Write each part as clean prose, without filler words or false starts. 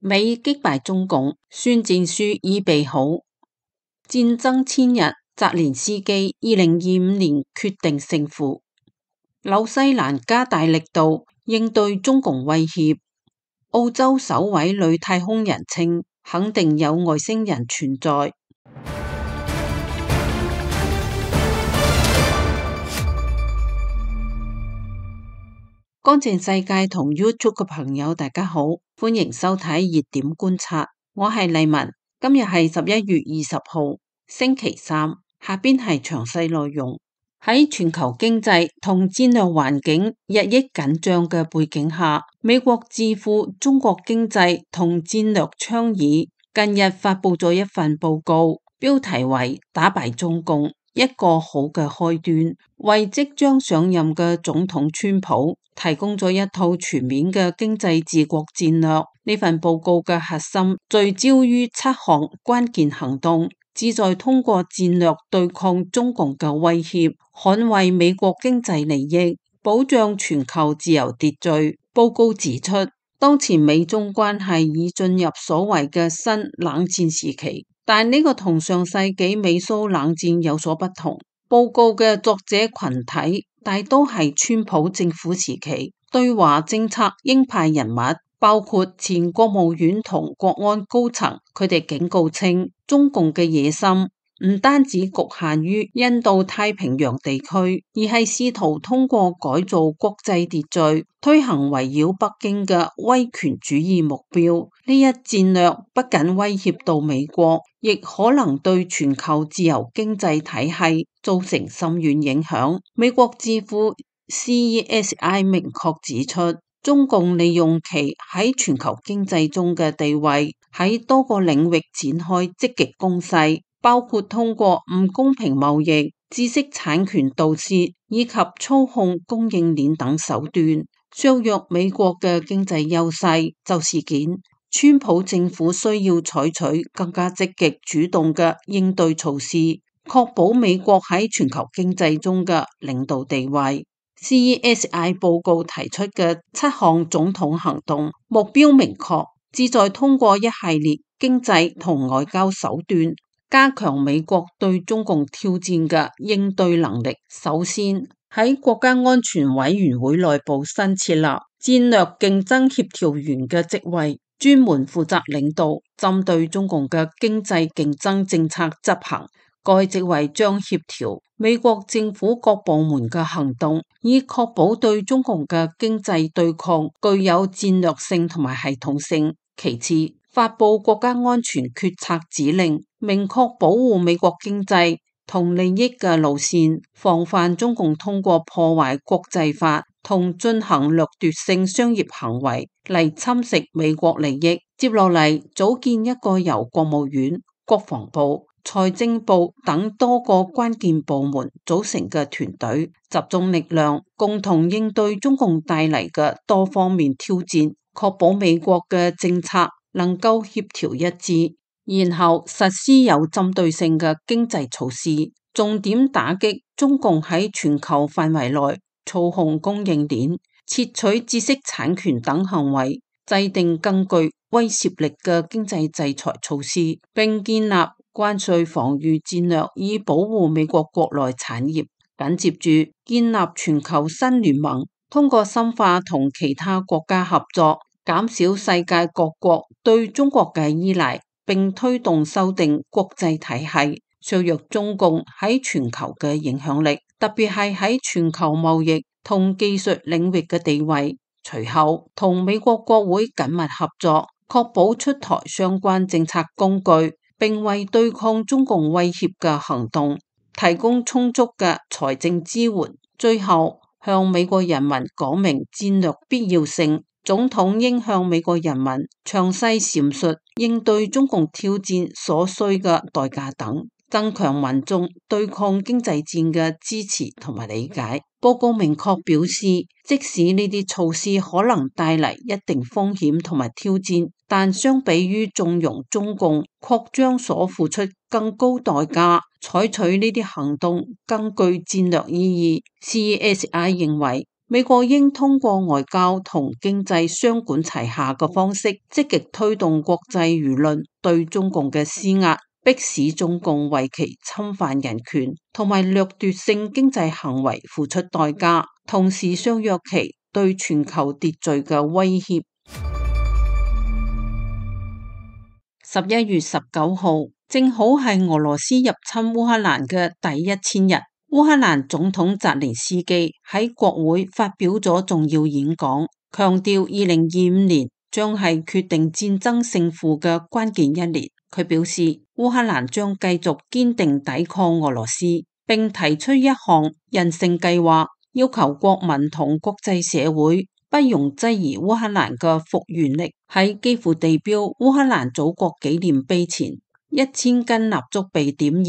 美擊敗中共，宣戰書已備好。戰爭千日，澤連斯基2025年決定勝負。紐西蘭加大力度應對中共威脅。澳洲首位女太空人稱，肯定有外星人存在。乾淨世界同 YouTube 嘅朋友大家好，歡迎收睇熱點觀察，我係麗文。今日係11月20號星期三，下邊係詳細內容。喺全球經濟同戰略環境日益緊張嘅背景下，美國智庫中國經濟同戰略倡議近日發佈咗一份報告，標題為打敗中共，一個好嘅開端，為即將上任嘅總統川普提供咗一套全面嘅經濟治國戰略。呢份報告嘅核心聚焦於7項關鍵行動，旨在通過戰略對抗中共嘅威脅，捍衛美國經濟利益，保障全球自由秩序。報告指出，當前美中關係已進入所謂嘅新冷戰時期，但呢個同上世紀美蘇冷戰有所不同。報告嘅作者群體大都係川普政府時期對華政策鷹派人物，包括前國務院同國安高層。佢哋警告稱，中共嘅野心唔單止局限於印度太平洋地區，而係試圖通過改造國際秩序，推行圍繞北京嘅威權主義目標。呢一戰略不僅威脅到美國，亦可能對全球自由經濟體系造成深遠影響。美國智庫 CESI 明確指出，中共利用其喺全球經濟中嘅地位，喺多個領域展開積極攻勢，包括通過唔公平貿易、知識產權盜竊以及操控供應鏈等手段，削弱美國嘅經濟優勢。就事件，川普政府需要採取更加積極主動嘅應對措施，確保美國喺全球經濟中嘅領導地位。CESI 報告提出嘅7項總統行動目標明確，旨在通過一系列經濟同外交手段，加強美國對中共挑戰嘅應對能力。首先，喺國家安全委員會內部新設立戰略競爭協調員嘅職位，專門負責領導針對中共嘅經濟競爭政策執行。該職位將協調美國政府各部門嘅行動，以確保對中共嘅經濟對抗具有戰略性同埋系統性。其次，發佈國家安全決策指令，明確保護美國經濟同利益嘅路線，防範中共通過破壞國際法同進行掠奪性商業行為嚟侵蝕美國利益。接落嚟，組建一個由國務院、國防部、財政部等多個關鍵部門組成嘅團隊，集中力量，共同應對中共帶嚟嘅多方面挑戰，確保美國嘅政策能夠協調一致，然後實施有針對性嘅經濟措施，重點打擊中共喺全球範圍內操控供應鏈、竊取知識產權等行為，制定更具威懾力嘅經濟制裁措施，並建立關稅防禦戰略，以保護美國國內產業。緊接住建立全球新聯盟，通過深化同其他國家合作，減少世界各國對中國嘅依賴，並推動修訂國際體系，削弱中共喺全球嘅影響力，特別係喺全球貿易同技術領域嘅地位。隨後同美國國會緊密合作，確保出台相關政策工具，並為對抗中共威脅嘅行動提供充足嘅財政支援。最後向美國人民講明戰略必要性，總統應向美國人民詳細闡述應對中共挑戰所需嘅代價等，增強民眾對抗經濟戰嘅支持同埋理解。報告明確表示，即使呢啲措施可能帶嚟一定風險同埋挑戰，但相比於縱容中共擴張所付出更高代價，採取呢啲行動更具戰略意義。CESI 認為美國應通過外交同經濟雙管齊下嘅方式，積極推動國際輿論對中共嘅施壓，迫使中共為其侵犯人權同埋掠奪性經濟行為付出代價，同時削弱其對全球秩序嘅威脅。11月19號正好係俄羅斯入侵烏克蘭嘅第1000日。烏克蘭總統澤連斯基喺國會發表咗重要演講，強調2025年將係決定戰爭勝負嘅關鍵一年。佢表示，烏克蘭將繼續堅定抵抗俄羅斯，並提出一項人性計劃，要求國民同國際社會不容質疑烏克蘭嘅復原力。喺基輔地標烏克蘭祖國紀念碑前，1000根蠟燭被點燃，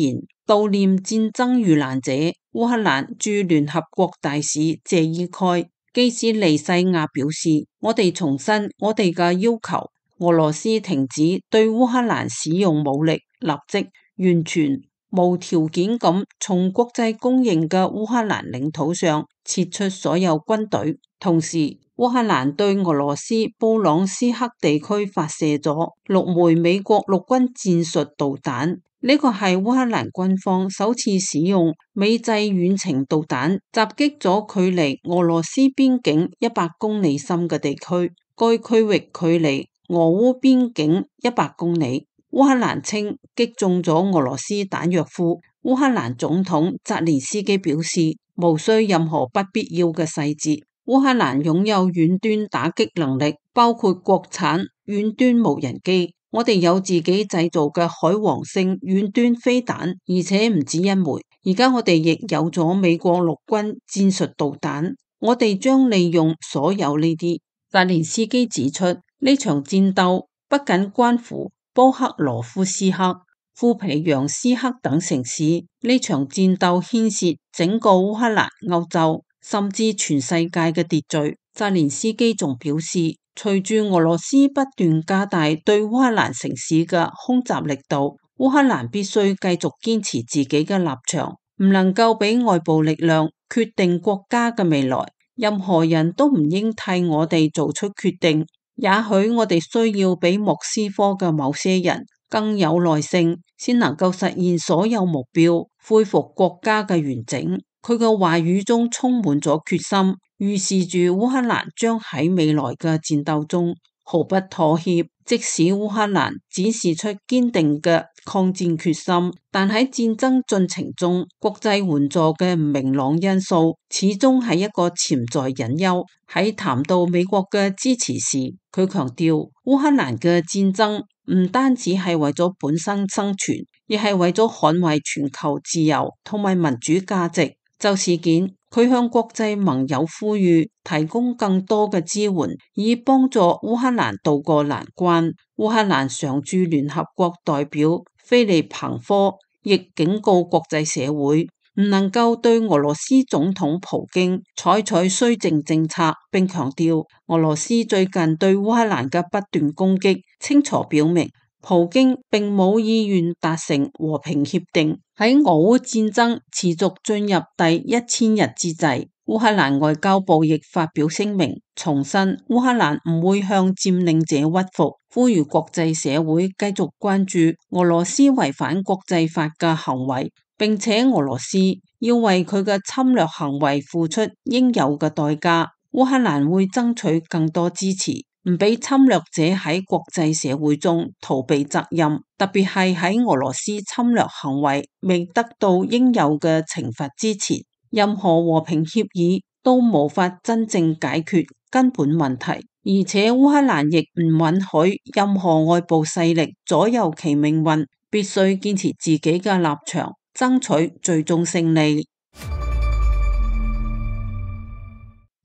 悼念戰爭遇難者。烏克蘭駐聯合國大使謝伊蓋基斯利西亞表示，我哋重申我哋嘅要求，俄羅斯停止對烏克蘭使用武力，立即完全無條件咁從國際公認嘅烏克蘭領土上撤出所有軍隊。同時，烏克蘭對俄羅斯布朗斯克地區發射咗6枚美國陸軍戰術導彈，呢個係烏克蘭軍方首次使用美製遠程導彈襲擊咗距離俄羅斯邊境100公里深嘅地區，該區域距離俄烏邊境100公里。烏克蘭稱擊中咗俄羅斯彈藥庫。烏克蘭總統澤連斯基表示，無需任何不必要嘅細節。烏克蘭擁有遠端打擊能力，包括國產遠端無人機。我哋有自己製造嘅海王星遠端飛彈，而且唔止一枚。而家我哋亦有咗美國陸軍戰術導彈，我哋將利用所有呢啲。澤連斯基指出，呢場戰鬥不僅關乎波克羅夫斯克、庫皮揚斯克等城市，呢場戰鬥牽涉整個烏克蘭、歐洲，甚至全世界嘅秩序。澤連斯基仲表示，隨住俄羅斯不斷加大對烏克蘭城市嘅空襲力度，烏克蘭必須繼續堅持自己嘅立場，唔能夠俾外部力量決定國家嘅未來。任何人都唔應替我哋做出決定。也許我哋需要比莫斯科嘅某些人更有耐性，先能夠實現所有目標，恢復國家嘅完整。佢嘅話語中充滿咗決心，預示住烏克蘭將喺未來嘅戰鬥中毫不妥協。即使烏克蘭展示出堅定嘅抗戰決心，但喺戰爭進程中，國際援助嘅唔明朗因素始終係一個潛在隱憂。喺談到美國嘅支持時，佢強調烏克蘭嘅戰爭唔單止係為咗本身生存，亦係為咗捍衛全球自由同埋民主價值。就事件，佢向國際盟友呼籲提供更多嘅支援，以幫助烏克蘭渡過難關。烏克蘭常駐聯合國代表菲利彭科亦警告國際社會，唔能夠對俄羅斯總統普京採取綏靖政策，並強調俄羅斯最近對烏克蘭嘅不斷攻擊，清楚表明普京並冇意願達成和平協定。喺俄烏戰爭持續進入第1000日之際，烏克蘭外交部亦發表聲明，重申烏克蘭唔會向佔領者屈服，呼籲國際社會繼續關注俄羅斯違反國際法嘅行為，並且俄羅斯要為佢嘅侵略行為付出應有嘅代價。烏克蘭會爭取更多支持，唔俾侵略者喺國際社會中逃避責任，特別係喺俄羅斯侵略行為未得到應有嘅懲罰之前，任何和平協議都無法真正解決根本問題。而且烏克蘭亦唔允許任何外部勢力左右其命運，必須堅持自己嘅立場，爭取最終勝利。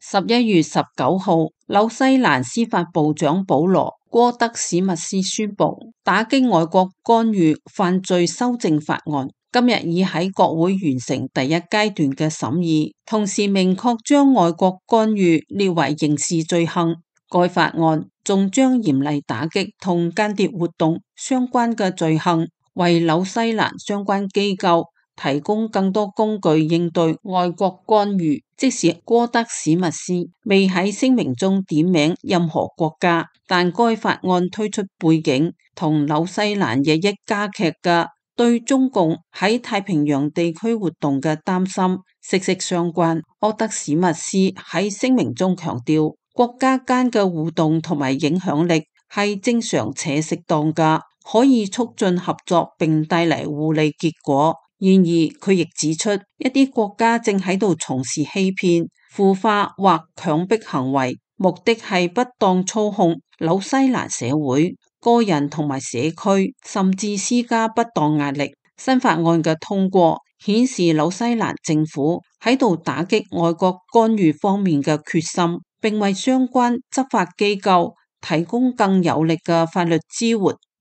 11月19號，紐西蘭司法部長保羅戈德史密斯宣布打擊外國干預犯罪修正法案，今日已喺國會完成第一階段嘅審議，同時明確將外國干預列為刑事罪行。該法案仲將嚴厲打擊同間諜活動相關嘅罪行，為紐西蘭相關機構提供更多工具應對外國干預。即使戈德史密斯未喺聲明中點名任何國家，但該法案推出背景同紐西蘭日益加劇嘅對中共喺太平洋地區活動嘅擔心息息相關。戈德史密斯喺聲明中強調，國家間嘅互動同埋影響力係正常且適當㗎，可以促進合作並帶嚟互利結果。然而，佢亦指出，一啲國家正喺度從事欺騙、腐化或強迫行為，目的係不當操控紐西蘭社會、個人同埋社區，甚至施加不當壓力。新法案嘅通過顯示紐西蘭政府喺度打擊外國干預方面嘅決心，並為相關執法機構提供更有力嘅法律支援。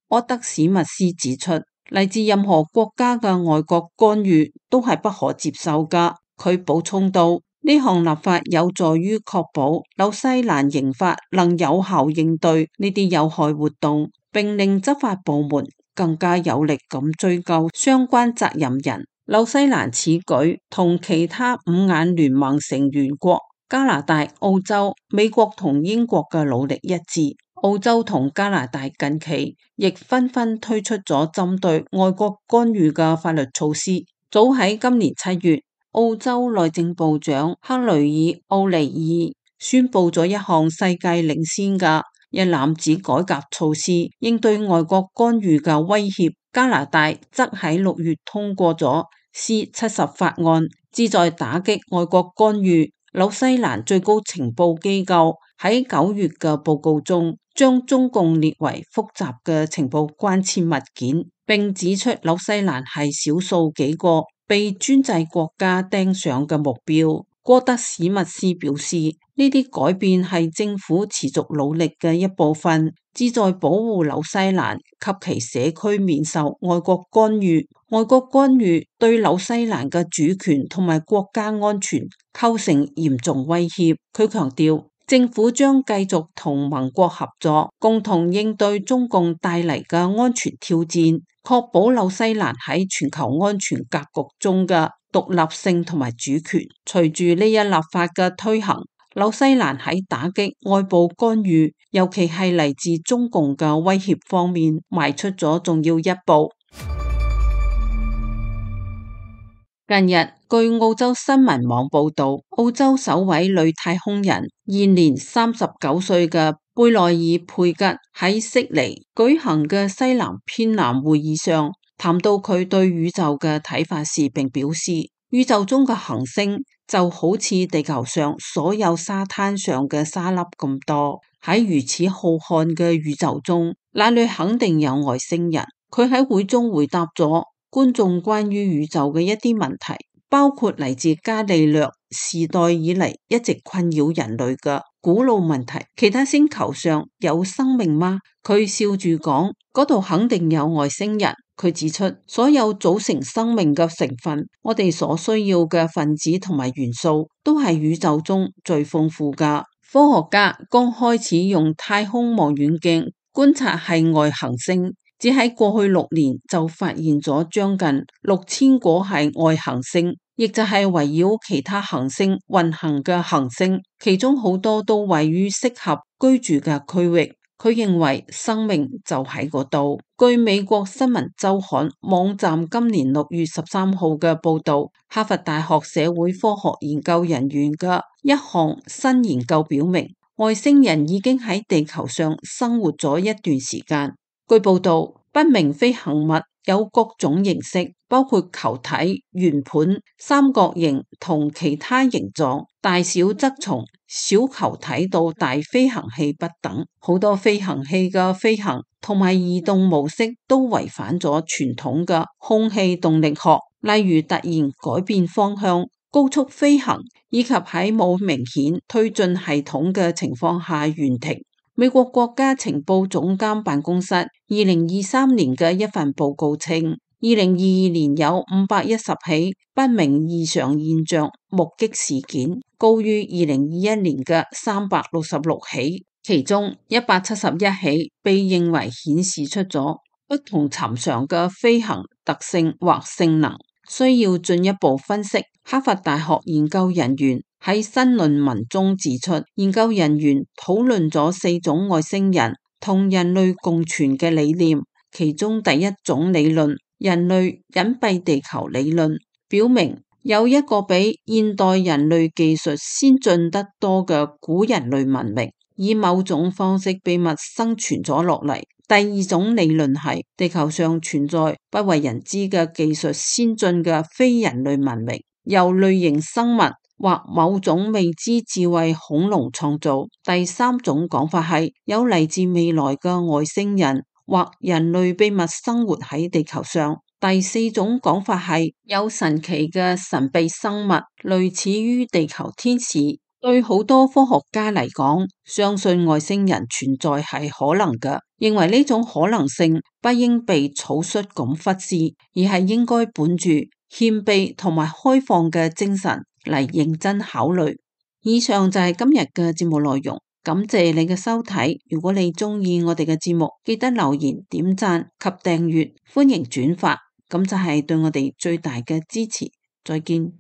戈德史密斯指出，嚟自任何國家嘅外國干預都係不可接受㗎。佢補充道，呢項立法有助於確保紐西蘭刑法能有效應對呢啲有害活動，並令執法部門更加有力咁追究相關責任人。紐西蘭此舉同其他五眼聯盟成員國加拿大、澳洲、美國同英國嘅努力一致。澳洲同加拿大近期亦紛紛推出咗針對外國干預嘅法律措施。早喺今年7月，澳洲內政部長克雷爾奧尼爾宣布咗一項世界領先嘅一攬子改革措施，應對外國干預嘅威脅。加拿大則喺6月通過咗 C-70 法案，旨在打擊外國干預。紐西蘭最高情報機構喺9月嘅報告中，將中共列為複雜嘅情報關切物件，並指出紐西蘭係少數幾個被專制國家盯上嘅目標。戈德史密斯表示，呢啲改變係政府持續努力嘅一部分，旨在保護紐西蘭及其社區免受外國干預。外國干預對紐西蘭嘅主權同埋國家安全構成嚴重威脅。佢強調，政府將繼續同盟國合作，共同應對中共帶嚟嘅安全挑戰，確保紐西蘭喺全球安全格局中嘅獨立性同埋主權。隨住呢一立法嘅推行，紐西蘭喺打擊外部干預，尤其係嚟自中共嘅威脅方面，邁出咗重要一步。近日，據澳洲新聞網報道，澳洲首位女太空人，現年39歲嘅貝內爾佩吉喺悉尼舉行嘅西南偏南會議上，談到佢對宇宙嘅睇法時，並表示，宇宙中嘅行星就好似地球上所有沙灘上嘅沙粒咁多，喺如此浩瀚嘅宇宙中，那裡肯定有外星人。佢喺會中回答咗觀眾關於宇宙嘅一啲問題，包括嚟自伽利略時代以嚟一直困擾人類嘅古老問題：其他星球上有生命嗎？佢笑住講，嗰度肯定有外星人。佢指出，所有組成生命嘅成分，我哋所需要嘅分子同埋元素，都係宇宙中最豐富㗎。科學家剛開始用太空望遠鏡觀察系外行星，只喺過去6年就發現咗將近6000個系外行星，亦就係圍繞其他行星運行嘅行星，其中好多都位於適合居住嘅區域。佢認為生命就喺嗰度。據美國新聞週刊網站今年6月13號嘅報導，哈佛大學社會科學研究人員嘅一項新研究表明，外星人已經喺地球上生活咗一段時間。據報導，不明飛行物有各種形式，包括球體、圓盤、三角形同其他形狀，大小則從小球體到大飛行器不等。好多飛行器嘅飛行同埋移動模式都違反咗傳統嘅空氣動力學，例如突然改變方向、高速飛行，以及喺冇明顯推進系統嘅情況下懸停。美國國家情報總監辦公室2023年嘅一份報告稱，2022年有510起不明異常現象目擊事件，高於2021年嘅366起，其中171起被認為顯示出咗不同尋常嘅飛行特性或性能。需要進一步分析。哈佛大學研究人員喺新論文中指出，研究人員討論咗4種外星人同人類共存嘅理念，其中第一種理論，人類隱蔽地球理論，表明有一個比現代人類技術先進得多嘅古人類文明，以某種方式秘密生存咗落嚟。第二種理論係地球上存在不為人知嘅技術先進嘅非人類文明，由類型生物或某種未知智慧恐龍創造。第三種講法係有嚟自未來嘅外星人或人類秘密生活喺地球上。第四種講法係有神奇嘅神秘生物，類似於地球天使。對好多科學家嚟講，相信外星人存在係可能嘅，認為呢種可能性不應被草率咁忽視，而係應該本住謙卑同埋開放嘅精神嚟認真考慮。以上就係今日嘅節目內容，感謝你嘅收睇。如果你鍾意我哋嘅節目，記得留言、點讚及訂閱，歡迎轉發，咁就係對我哋最大嘅支持。再見。